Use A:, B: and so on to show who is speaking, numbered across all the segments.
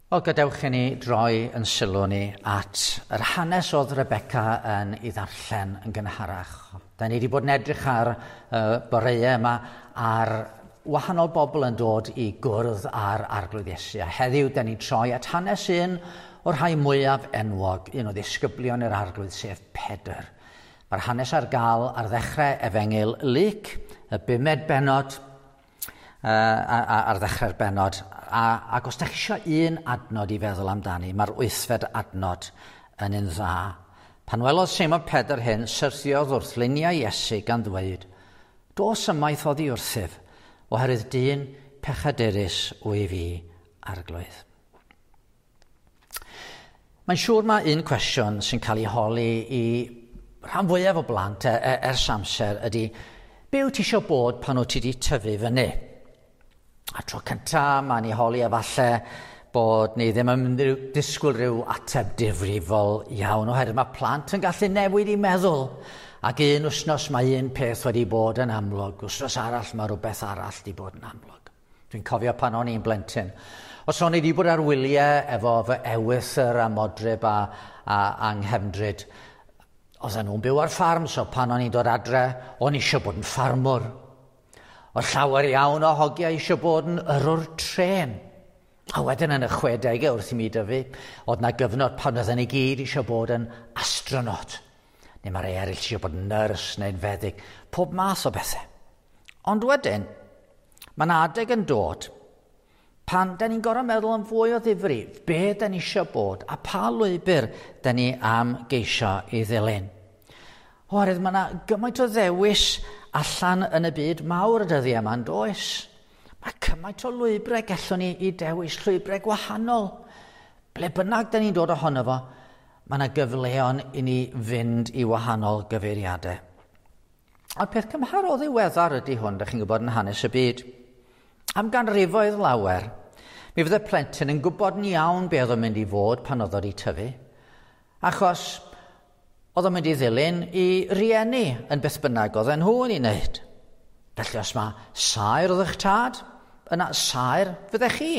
A: Wel, gadewch i ni droi yn sylw ni at yr hanes oedd Rebecca yn ei ddarllen yn gynharach. Da ni wedi bod yn edrych ar boreau yma ar wahanol bobl yn dod i gwrdd â'r Arglwydd Iesu. A heddiw, da ni'n troi at hanes un o'r rhai mwyaf enwog, un o ddisgyblion yr Arglwydd, sef Pedr. Mae'r hanes ar gael ar ddechrau Efengyl Luc, y bumed bennod, ar ddechrau'r bennod. Ac os da chi eisiau un adnod i feddwl amdani, mae'r wythfed adnod yn un dda. Pan welodd Seimon Pedr hyn, syrthiodd wrth luniau Iesu gan ddweud, Dos ymaith oddi wrthyf, oherwydd dyn pechadurus wyf fi, Arglwydd. Mae'n siŵr mae un cwestiwn sy'n cael ei holi i rhan fwyaf o blant ers amser ydy, be wyt ti eisiau bod pan wyt ti wedi tyfu fyny? A tro cynta, mae'n ei holi efallai bod ni ddim yn disgwyl rhyw ateb difrifol iawn, oherwydd mae plant yn gallu newid i meddwl. Ac un wythnos mae un peth wedi bod yn amlwg, wythnos arall mae rhywbeth arall wedi bod yn amlwg. Dwi'n cofio pan o'n i'n blentyn. Os o'n i wedi bod ar wyliau efo fy ewythr a modryb a anghefndryd, oedden nhw'n byw ar ffarm, so pan o'n i'n dod adre, o'n i eisiau bod yn ffarmwr. Oedd llawer iawn o hogiau eisiau bod yn yrrwr trên. A wedyn yn y 60au wrth i mi dyfu, oedd na gyfnod pan oedden ni gyd eisiau bod yn astronaut. Neu mae rhai eraill eisiau bod yn nyrs neu'n feddyg. Pob math o bethau. Ond wedyn, mae yna adeg yn dod pan da ni'n gorfod meddwl yn fwy o ddifri, be da ni eisiau bod a pa lwybr da ni am geisio i ddilyn. Oherwydd mae yna gymaint o ddewis allan yn y byd mawr y dyddiau yma, yn does? Mae cymaint o lwybrau gallwn ni i dewis, llwybrau gwahanol. Ble bynnag da ni'n dod ohono fo, mae yna gyfleon i ni fynd i wahanol gyfeiriadau. A'r peth cymharol ddiweddar ydy hwn, da chi'n gwybod, yn hanes y byd. Am ganrifoedd lawer, mi fydde plentyn yn gwybod yn iawn be oedd o'n mynd i fod pan oedd o wedi tyfu, achos oedd o'n mynd i ddilyn i rieni yn beth bynnag oedden nhw yn ei wneud. Felly os mae saer oedd eich tad, yna saer fyddech chi.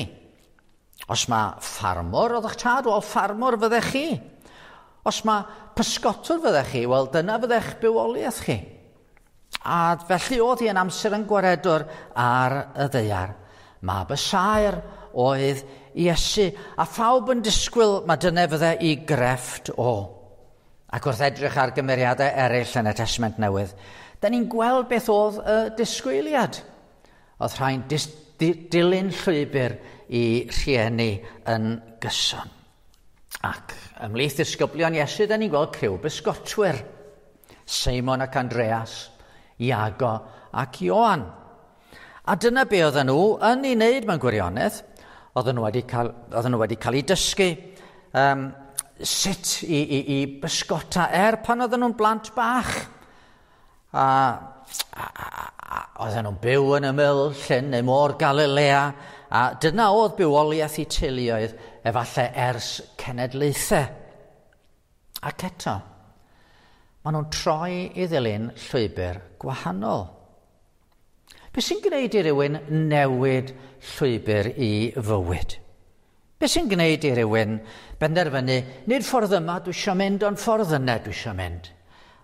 A: Os mae ffarmwr oedd eich tad, wel ffarmwr fyddech chi. Os mae pysgotwr fyddech chi, wel dyna fyddech bywoliaeth chi. A felly oedd hi yn amser yn gwaredwr ar y ddaear. Mab y saer oedd Iesu, a phawb yn disgwyl mae dyna fydde i grefft o. Ac wrth edrych ar gymeriadau eraill yn y Testament Newydd, da ni'n gweld beth oedd y disgwyliad. Oedd rhai'n dilyn llwybr i rhieni yn gyson. Ac ymhlith disgyblion Iesu, da ni'n gweld criw bysgotwyr. Seimon ac Andreas, Iago ac Ioan. A dyna be oedden nhw yn ei wneud mewn gwirionedd. Oedden nhw wedi cael, oedden nhw wedi cael eu dysgu sut i bysgota er pan oedden nhw'n blant bach. A oedden nhw'n byw yn ymyl llyn neu môr Galilea, a dyna oedd bywoliaeth eu teuluoedd efallai ers cenedlaethau. Ac eto, maen nhw'n troi i ddilyn llwybr gwahanol. Be sy'n gwneud i rywun newid llwybr i fywyd? Be sy'n gwneud i rywun benderfynu, nid ffordd yma dwi eisiau mynd, ond ffordd yna dwi eisiau mynd?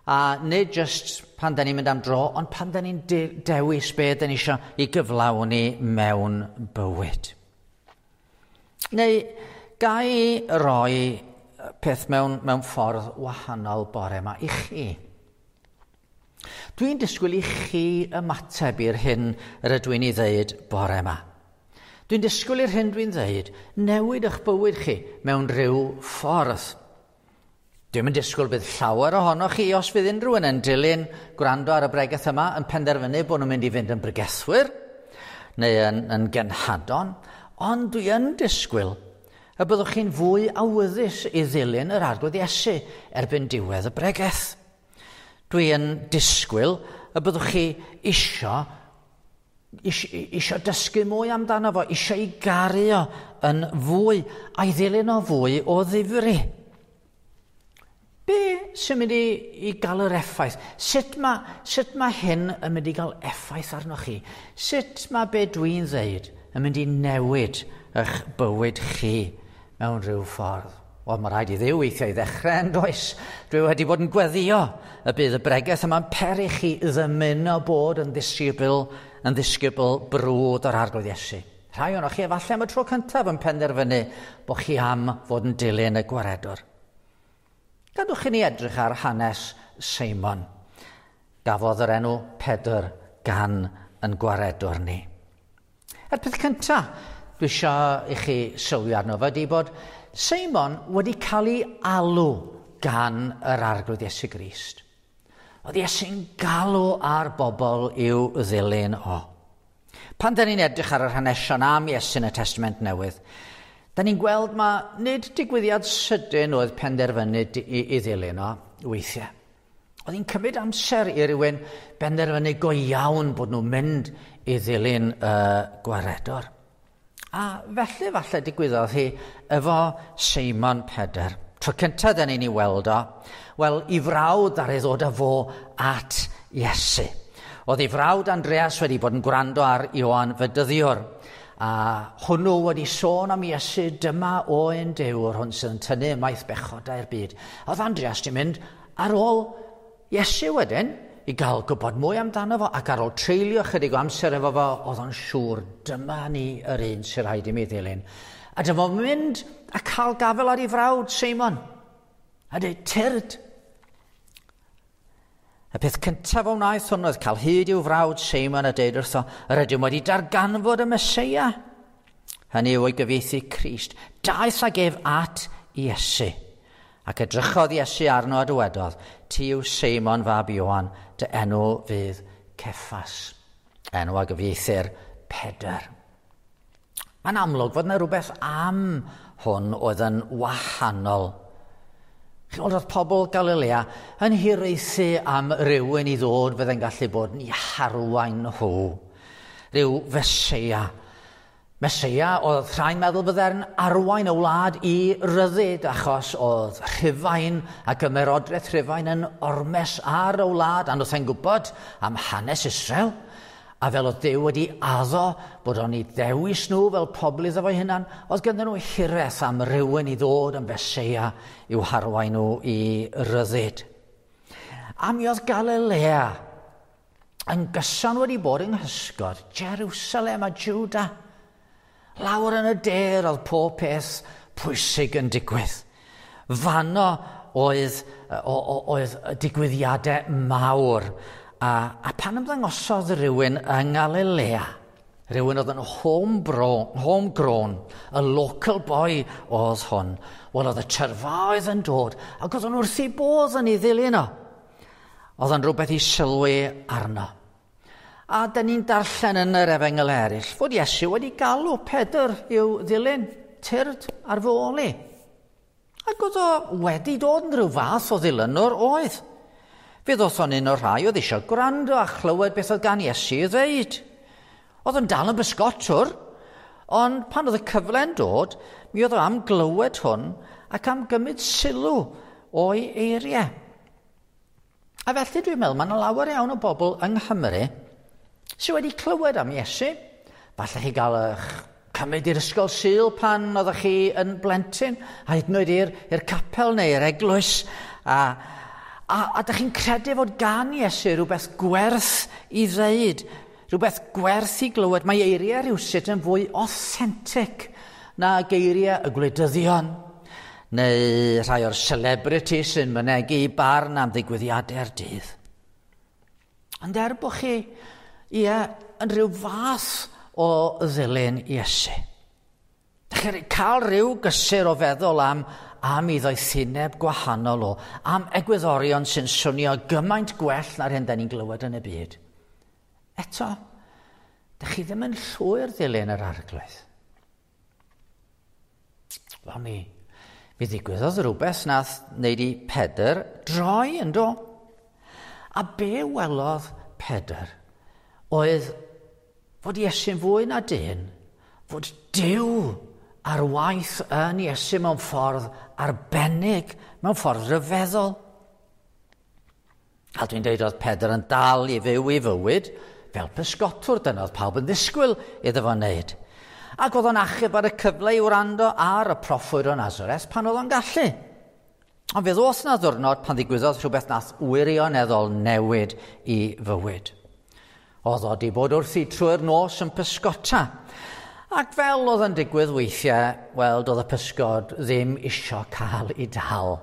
A: A nid just pan da ni'n mynd am dro, ond pan da ni'n dewis be da ni eisiau i gyflawni mewn bywyd. Neu ga i roi peth mewn ffordd wahanol bore yma i chi? Dwi'n disgwyl i chi ymateb i'r hyn yr ydw i'n ei ddeud bore yma. Dwi'n disgwyl i'r hyn dwi'n ddeud newid eich bywyd chi mewn rhyw ffordd. Dwi'm yn disgwyl bydd llawer ohonoch chi, os fydd unrhyw un yn dilyn gwrando ar y bregeth yma, yn penderfynu bod nhw'n mynd i fynd yn bregethwyr neu yn genhadon, ond dwi yn disgwyl y byddwch chi'n fwy awyddus i ddilyn yr Arglwydd Iesu erbyn diwedd y bregeth. Dwi yn disgwyl y byddwch chi isio dysgu mwy amdano fo, isio i garu o yn fwy, a'i ddilyn o fwy o ddifri. Be sy'n mynd i gael yr effaith? Sut mae hyn yn mynd i gael effaith arnoch chi? Sut mae be dwi'n ddeud yn mynd i newid eich bywyd chi mewn rhyw ffordd. Wel, mae rhaid i Dduw weithiau i ddechrau yn does. Dwi wedi bod yn gweddio y bydd y bregeth yma'n peri chi ddymuno bod yn ddisgybl brwd o'r Arglwydd Iesu. Rhai ohonoch chi efallai am y tro cyntaf yn penderfynu bod chi am fod yn dilyn y gwaredwr. Gadwch i ni edrych ar hanes Seimon. Gafodd yr enw Pedr gan yn gwaredwr ni. A'r peth cyntaf dwi eisiau i chi sylwi arno fo ydy bod Seimon wedi cael ei alw gan yr Arglwydd Iesu Grist. Oedd Iesu'n galw ar bobl i'w ddilyn o. Pan da ni'n edrych ar yr hanesion am Iesu yn y Testament Newydd, da ni'n gweld ma nid digwyddiad sydyn oedd penderfynu i ddilyn o weithiau. Oedd hi'n cymryd amser i rywun benderfynu go iawn bod nhw'n mynd i ddilyn y gwaredwr. A felly falle digwyddodd hi efo Seimon Pedr. Tro cyntaf da ni'n ei weld o, wel, i frawd ar ei ddod â fo at Iesu. Oedd ei frawd Andreas wedi bod yn gwrando ar Ioan Fedyddiwr, a hwnnw wedi sôn am Iesu, dyma oen Duw, yr hwn sydd yn tynnu ymaith bechodau'r byd. Oedd Andreas wedi mynd ar ôl Iesu wedyn i gael gwybod mwy amdano fo, ac ar ôl treulio chydig o amser efo fo, oedd o'n siŵr, dyma ni yr un sy'n rhaid i mi ddilyn. A dyma fo'n mynd a cael gafel ar ei frawd Seimon. A dweud, tyrd. Y peth cyntaf o wnaeth hwn oedd cael hyd i'w frawd Seimon a dweud wrtho, yr ydym wedi darganfod y Meseia. Hynny yw o'i gyfieithu Crist. Daeth ag ef at Iesu. Ac edrychodd Iesu arno a dywedodd, ti yw Seimon fab Ioan, dy enw fydd Ceffas. Enw a gyfieithir Pedr. Mae'n amlwg fod yna rhywbeth am hwn oedd yn wahanol. Chi'n gweld oedd pobl Galilea yn hiraethu am rywun i ddod fydde'n gallu bod yn eu harwain nhw. Rhyw Feseia. Meseia oedd rhai'n meddwl bydde'n arwain y wlad i ryddid, achos oedd Rhufain ac ymerodraeth Rhufain yn ormes ar y wlad, a nhw'n e'n gwybod am hanes Israel, a fel oedd Duw wedi addo bod o'n ei ddewis nhw fel pobl iddo fo'i hunan, oedd ganddyn nhw hiraeth am rywun i ddod yn Feseia i'w harwain nhw i ryddid. A mi oedd Galilea yn gyson wedi bod yng nghysgod Jerusalem a Juda. Lawr yn y de oedd pob peth pwysig yn digwydd. Fanno oedd digwyddiadau mawr. A pan ymddangosodd rhywun yng Nghalilea, rhywun oedd yn homegrown, y local boy oedd hwn, wel oedd y tyrfaoedd yn dod, ac oedd o'n wrth ei bodd yn ei ddilyn o. Oedd o'n rhywbeth i sylwi arno. A da ni'n darllen yn yr efengyl eraill fod Iesu wedi galw Pedr i'w ddilyn, tyrd ar fy ôl i. Ac oedd o wedi dod yn rhyw fath o ddilynwr oedd. Fe ddoth o'n un o'r rhai oedd eisiau gwrando a chlywed beth oedd gan Iesu i ddweud. Oedd yn dal yn bysgotwr, ond pan oedd y cyfle'n dod, mi oedd o am glywed hwn ac am gymryd sylw o'i eiriau. A felly dwi'n meddwl mae yna lawer iawn o bobl yng Nghymru sydd wedi clywed am Iesu. Falle chi gael eich cymryd i'r ysgol Sul pan oeddech chi yn blentyn, a hyd yn oed i'r capel neu i'r eglwys. A dych chi'n credu fod gan Iesu rhywbeth gwerth i ddeud, rhywbeth gwerth i glywed. Mae eiriau rhywsut yn fwy authentic na geiriau y gwleidyddion, neu rhai o'r celebrities sy'n mynegi barn am ddigwyddiadau'r dydd. Ond er bod chi, ie, yn rhyw fath o ddilyn Iesu. Dych chi'n cael rhyw gysur o feddwl am ei ddoethineb gwahanol o, am egwyddorion sy'n swnio gymaint gwell na'r hyn da ni'n glywed yn y byd. Eto, dych chi ddim yn llwyr ddilyn yr Arglwydd. Wel mi ddigwyddodd rhywbeth nath wneud i Pedr droi yn do. A be welodd Pedr oedd fod Iesu'n fwy na dyn, fod Duw ar waith yn Iesu mewn ffordd arbennig, mewn ffordd ryfeddol. A dwi'n dweud oedd Pedr yn dal i fyw i fywyd fel pysgotwr, dyna oedd pawb yn ddisgwyl iddo fo wneud. Ac oedd o'n achub ar y cyfle i wrando ar y proffwyd o Nazareth pan oedd o'n gallu. Ond fe ddoth na ddwrnod pan ddigwyddodd rhywbeth nath wirioneddol newid i fywyd. Oedd o di bod wrthi trwy'r nos yn pysgota. Ac fel oedd yn digwydd weithiau, wel, doedd y pysgod ddim isio cael ei dal.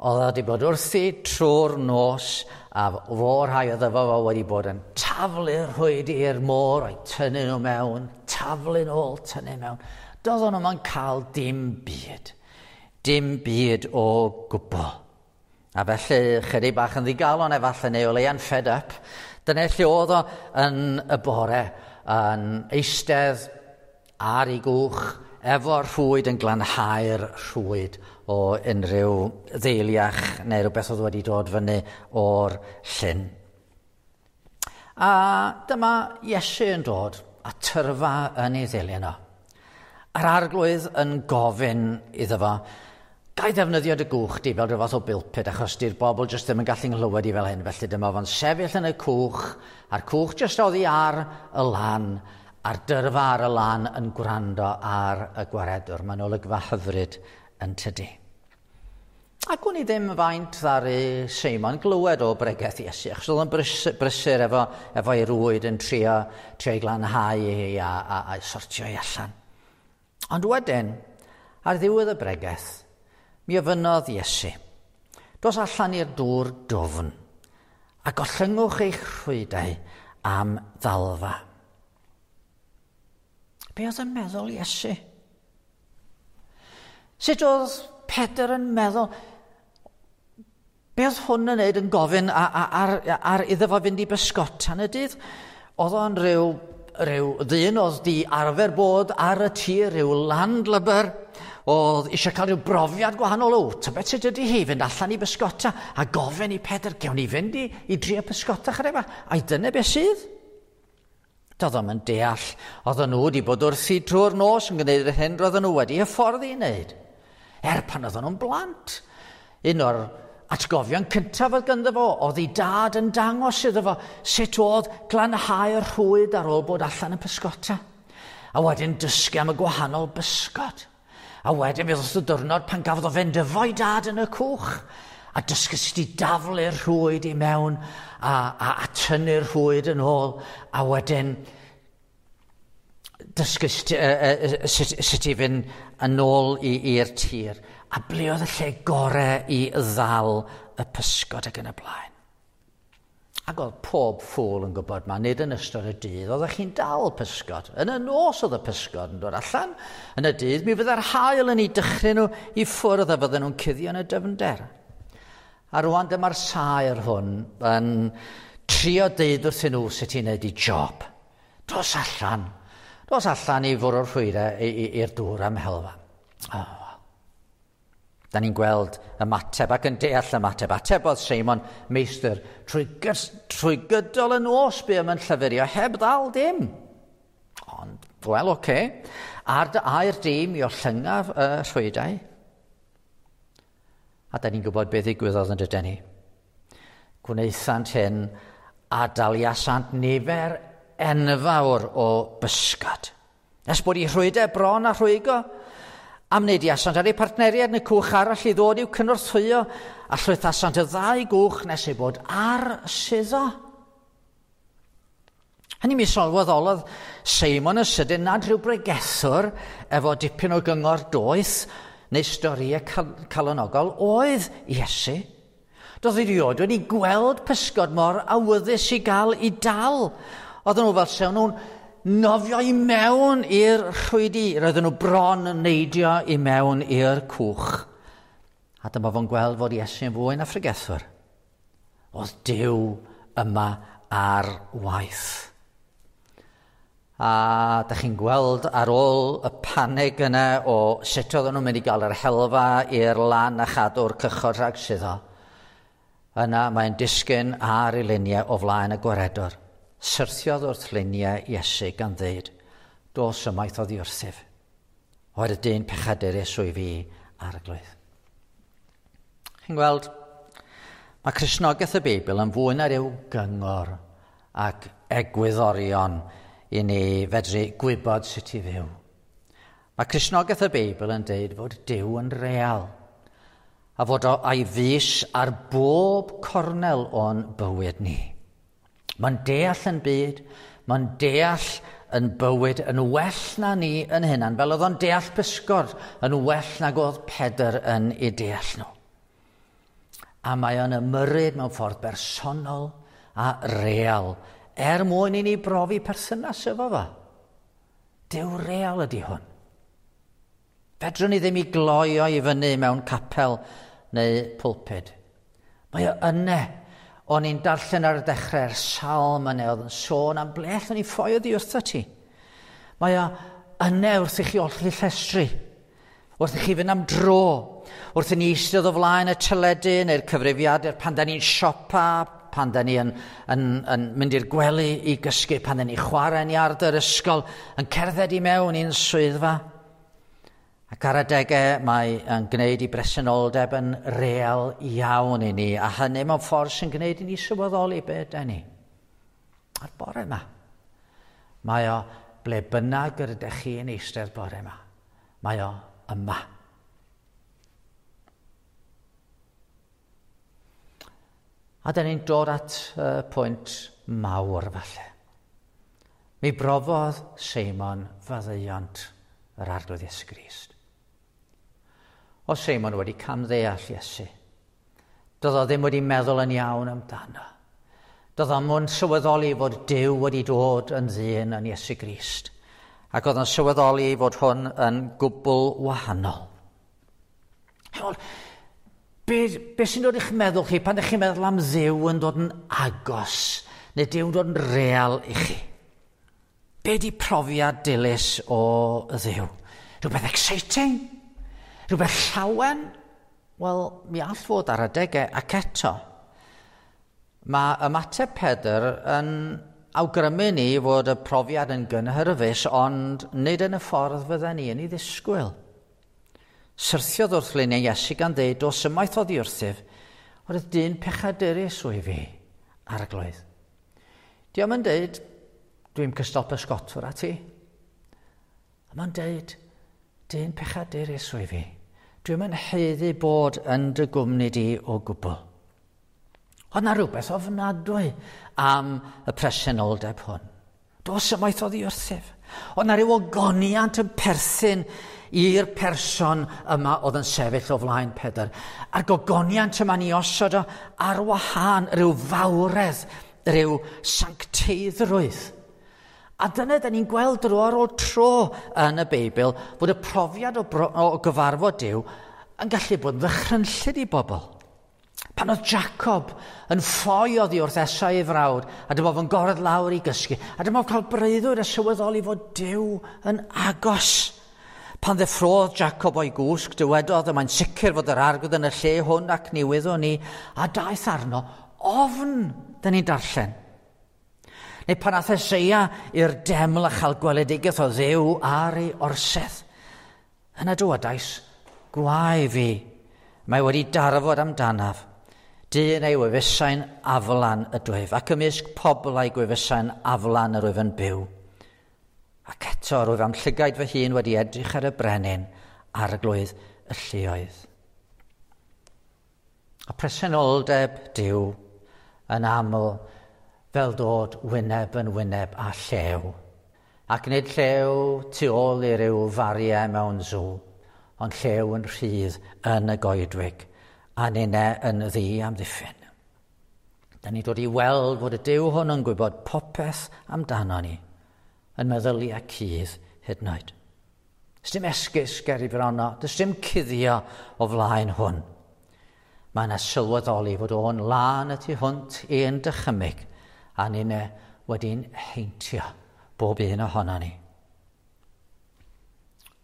A: Oedd o wedi bod wrthi trwy'r nos a fo rhai oedd efo fo wedi bod yn taflu'r rhwyd i'r môr o'i tynnu nhw mewn, taflu nôl, tynnu mewn. Doedden nhw'n cael dim byd. Dim byd o gwbl. A felly, chydig bach yn ddigalon efallai neu o leia'n fed up, dyna lle oedd o yn y bore, yn eistedd ar ei gwch, efo'r rhwyd yn glanhau'r rhwyd o unrhyw ddeiliach neu rhywbeth oedd wedi dod fyny o'r llyn. A dyma Iesu yn dod a tyrfa yn ei ddilyn o. A'r arglwydd yn gofyn iddo fo, gai ddefnyddio dy gwch di fel rhyw fath o bilpid achos di'r bobl jyst ddim yn gallu nghlywed i fel hyn. Felly dyma fo'n sefyll yn y cwch, a'r cwch jyst oddi ar y lan, a'r dyrfa ar y lan yn gwrando ar y gwaredwr. Mae'n olygfa hyfryd yn tydi. Ac wn i ddim faint ddaru Seimon glywed o bregeth Iesu, achos oedd o'n brysur efo, efo ei rwyd yn trio, trio ei glanhau ei a, a, a, sortio ei allan. Ond wedyn, ar ddiwedd y bregeth, mi ofynnodd Iesu, dos allan i'r dŵr dwfn a gollyngwch eich rhwydau am ddalfa. Be oedd yn meddwl Iesu? Sut oedd Pedr yn meddwl? Be oedd hwn yn neud yn gofyn ar, ar, ar iddo fo fynd i bysgota yn y dydd? Oedd o'n rhyw, rhyw ddyn oedd di arfer bod ar y tir, rhyw landlubber, oedd eisiau cael rhyw brofiad gwahanol. O, tybed sut ydy hi fynd allan i bysgota a gofyn i Pedr, gewn ni fynd i, i drio pysgota chydig bach? Ai dyna beth sydd? Doedd o'm yn deall. Oedden nhw wedi bod wrthi drwy'r nos yn gwneud yr hyn roedden nhw wedi hyfforddi i wneud. Er pan oedden nhw'n blant. Un o'r atgofion cyntaf oedd ganddo fo, oedd ei dad yn dangos iddo fo sut oedd glanhau'r rhwyd ar ôl bod allan yn pysgota. A wedyn dysgu am y gwahanol bysgod. A wedyn fe ddoth y diwrnod pan gafodd o fynd efo'i dad yn y cwch a dysgu sut i daflu'r rhwyd i mewn a, a, a tynnu'r rhwyd yn ôl a wedyn dysgu sut, uh, sut, sut i fynd yn ôl i'r tir a ble oedd y lle gorau i ddal y pysgod ac yn y blaen. Ac oedd pob ffôl yn gwybod ma, nid yn ystod y dydd, oeddech chi'n dal pysgod. Yn y nos oedd y pysgod yn dod allan. Yn y dydd, mi fydde'r haul yn ei dychryn nhw i ffwrdd a fydden nhw'n cuddio yn y dyfnder. A rwan dyma'r saer hwn yn trio deud wrthyn nhw sut i wneud i job. Dos allan. Dos allan i fwrw'r rhwydau i'r dŵr am helfa. Oh. Da ni'n gweld ymateb ac yn deall ymateb. Atebodd Seimon meistr trwy, trwy gydol y nos bu am yn llyfurio heb ddal dim. Ond, wel, oce. Okay. Ar dy air di mi ollyngaf y rhwydau. A da ni'n gwybod beth ddigwyddodd yn dydyn ni. Gwnaethant hyn a daliasant nifer enfawr o bysgod. Nes bod i rhwydau bron a rhwygo, am neidiasant ar eu partneriaid yn y cwch arall i ddod i'w cynorthwyo, a llwythasant y ddau gwch nes ei bod ar suddo. Hynny mi sylweddolodd Seimon y sydyn nad rhyw bregethwr efo dipyn o gyngor doeth neu storïau cal calonogol oedd Iesu. Doedd erioed wedi gweld pysgod mor awyddus i gael i dal. Oedden nhw fel sewn nhw'n nofio i mewn i'r rhwydi. Roedden nhw bron yn neidio i mewn i'r cwch. A dyma fo'n gweld fod Iesu yn fwy na phregethwr. Oedd Duw yma ar waith. A da chi'n gweld ar ôl y panig yna o sut oedden nhw'n mynd i gael yr helfa i'r lan a chadw'r cychod rhag suddo. Yna mae'n disgyn ar ei luniau o flaen y gwaredwr. Syrthiodd wrth luniau Iesu gan ddeud, dos ymaith oddi wrthyf. Oed y dyn pechadurus wyf fi arglwydd. Chi'n gweld, mae Cristnogaeth y Beibl yn fwy na ryw gyngor ac egwyddorion i ni fedru gwybod sut i fyw. Mae Cristnogaeth y Beibl yn deud fod Duw yn real a fod o a'i fys ar bob cornel o'n bywyd ni. Mae'n deall yn byd, mae'n deall yn bywyd yn well na ni yn hunan, fel oedd o'n deall pysgod yn well nag oedd Pedr yn ei deall nhw. A mae o'n ymyrryd mewn ffordd bersonol a real, er mwyn i ni brofi perthynas efo fo. Duw real ydy hwn. Fedrwn ni ddim i gloio i fyny mewn capel neu pulpud. Mae o yne. O'n i'n darllen ar y dechrau'r salm yna oedd yn sôn am ble allwn ni ffoi oddi wrtho ti. Mae o yne wrth i chi olchi llestri, wrth i chi fynd am dro, wrth i ni eistedd o flaen y teledu neu'r cyfrifiadur pan da ni'n siopa, pan da ni yn mynd i'r gwely i gysgu, pan da ni'n chwarae yn iard yr ysgol, yn cerdded i mewn i'n swyddfa. Ac ar adegau mae yn gwneud i bresenoldeb yn real iawn i ni, a hynny mewn ffordd sy'n gwneud i ni sylweddoli be ydy ni. A'r bore yma, mae o ble bynnag yr ydych chi yn eistedd bore yma. Mae o yma. A da ni'n dod at y pwynt mawr falle. Mi brofodd Seimon faddeuant yr Arglwydd Iesu Grist. O Seimon wedi camddeall Iesu. Doedd o ddim wedi meddwl yn iawn amdano. Doedd o'm yn sylweddoli fod Duw wedi dod yn ddyn yn Iesu Grist. Ac oedd o'n sylweddoli fod hwn yn gwbl wahanol. Chimod, be sy'n dod i'ch meddwl chi pan ydych chi'n meddwl am Dduw yn dod yn agos, neu Duw yn dod yn real i chi? Be di profiad dilys o Dduw? Rhywbeth exciting? Rhywbeth llawen? Wel, mi all fod ar adegau ac eto. Mae ymateb Pedr yn awgrymu ni fod y profiad yn gynhyrfus, ond nid yn y ffordd fydden ni yn ei ddisgwyl. Syrthiodd wrth luniau Iesu gan ddeud, dos ymaith oddi wrthyf, oedd dyn pechadurus wyf fi, Arglwydd. Dio'm yn deud, dwi'n cystal pysgotwr â ti. A mae'n deud, dyn pechadurus wyf fi. Dwi'm yn haeddu bod yn dy gwmni di o gwbl. Oedd na rhywbeth ofnadwy am y presenoldeb hwn. Dos ymaith oddi wrthyf. Oedd na rhyw ogoniant yn perthyn i'r person yma oedd yn sefyll o flaen Pedr. A'r gogoniant yma ni osod o ar wahân, rhyw fawredd, rhyw sancteiddrwydd. A dyna da ni'n gweld dro ar ôl tro yn y Beibl fod y profiad o gyfarfod Duw yn gallu bod yn ddychrynllyd i bobl. Pan oedd Jacob yn ffoi oddi wrth Esau ei frawd, a dyma fo'n goredd lawr i gysgu, a dyma fo'n cael breuddwyd a sylweddoli fod Duw yn agos. Pan ddeffrodd Jacob o'i gwsg, dywedodd, y mae'n sicr fod yr Arglwydd yn y lle hwn ac ni wyddwn ni, a daeth arno ofn, dyn ni'n darllen. Neu pan ath Eseia i'r deml a chael gweledigaeth o Dduw ar ei orsedd. Yna dywedais, gwae fi, mae wedi darfod amdanaf. Dyn ei gwefusau'n aflan ydwyf, ac ymysg pobl a'i gwefusau'n aflan yr wyf yn byw. Ac eto rwyf am llygaid fy hun wedi edrych ar y brenin, arglwydd y lluoedd. A presenoldeb Duw yn aml fel dod wyneb yn wyneb â llew. Ac nid llew tu ôl i ryw fariau mewn sŵ, ond llew yn rhydd yn y goedwig, a ninne yn ddi amddiffyn. Da ni'n dod i weld fod y Duw hwn yn gwybod popeth amdano ni, yn meddyliau cudd hyd yn oed. Does dim esgus ger i frono, does dim cuddio o flaen hwn. Mae yna sylweddoli fod o'n lân y tu hwnt i'n dychymyg, a ninne wedi'n heintio bob un ohono ni.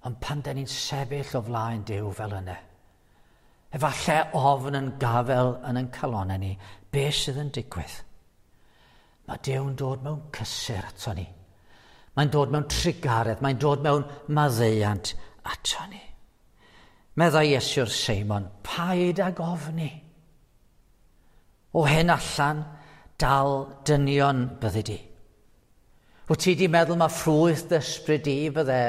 A: Ond pan da ni'n sefyll o flaen Duw fel yna, efallai ofn yn gafel yn ein calonnau ni, be sydd yn digwydd? Mae Duw'n dod mewn cysur ato ni. Mae'n dod mewn trugaredd, mae'n dod mewn maddeuant ato ni. Meddai Iesu wrth Seimon, paid ag ofni. O hyn allan, dal dynion byddi di. Wyt ti wedi meddwl mae ffrwyth dy ysbryd di fydde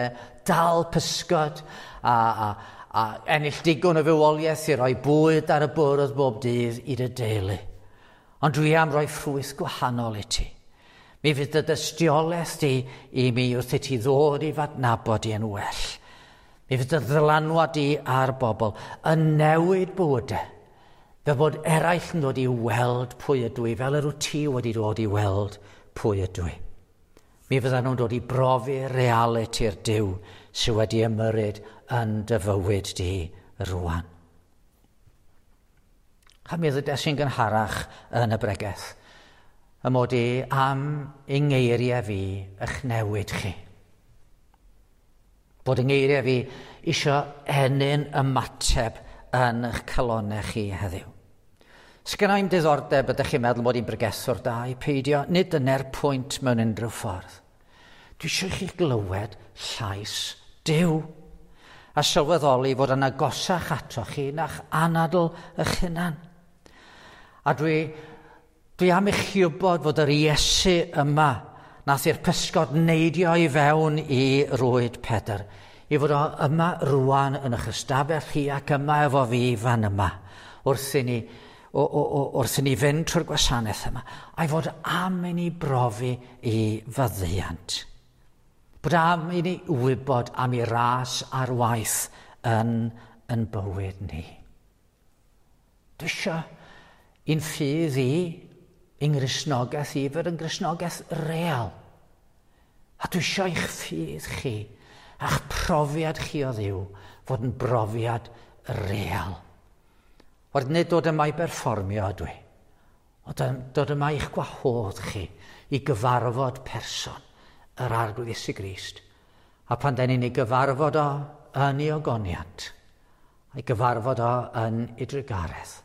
A: dal pysgod a ennill digon o fywoliaeth i roi bwyd ar y bwrdd bob dydd i dy deulu. Ond dwi am roi ffrwyth gwahanol i ti. Mi fydd dy dystiolaeth di i mi wrth i ti ddod i f'adnabod i yn well. Mi fydd dy ddylanwad di ar bobl yn newid bywydau. Fel bod eraill yn dod i weld pwy ydw i, fel yr wyt ti wedi dod i weld pwy ydw i. Mi fyddan nhw'n dod i brofi realiti'r Duw sydd wedi ymyrryd yn dy fywyd di rwan. A mi ddydes i'n gynharach yn y bregeth, y mod i am i ngeiriau fi eich newid chi. Bod yng ngeiriau fi isio ennyn ymateb yn eich calonnau chi heddiw. Sgynna i'm diddordeb ydych chi'n meddwl mod i'n bregethwr da i peidio, nid dyna'r pwynt mewn unrhyw ffordd. Dwi eisiau chi glywed llais Duw a sylweddoli fod yn agosach ato chi na'ch anadl eich hunan. A dwi am i chi wybod fod yr Iesu yma nath i'r pysgod neidio i fewn i rwyd Pedr, i fod o yma rwan yn eich ystafell chi ac yma efo fi fan yma, wrth i ni wrth i ni fynd trwy'r gwasanaeth yma, a'i fod am i ni brofi i faddeuant. Bod am i ni wybod am ei ras ar waith yn bywyd ni. Dwi eisiau i'n ffydd i, i'n Gristnogaeth i, fod yn Gristnogaeth real. A dwi eisiau eich ffydd chi, a'ch profiad chi o Dduw, fod yn brofiad real. Ond nid dod yma i berfformio ydw i, ond dod yma i'ch gwahodd chi i gyfarfod person yr Arglwydd Iesu Grist. A pan den ni'n ei gyfarfod o yn ei ogoniant, a'i gyfarfod o yn ei drugaredd,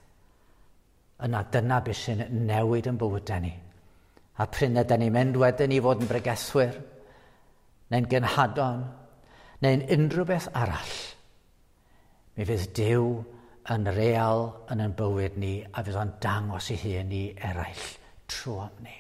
A: yna dyna beth sy'n newid yn bywydau ni. A prin ydyn ni'n mynd wedyn i fod yn bregethwyr, neu'n genhadon, neu'n unrhyw beth arall, mi fydd Duw yn real yn ein bywyd ni a fydd o'n dangos ei hun i eraill trwy ni.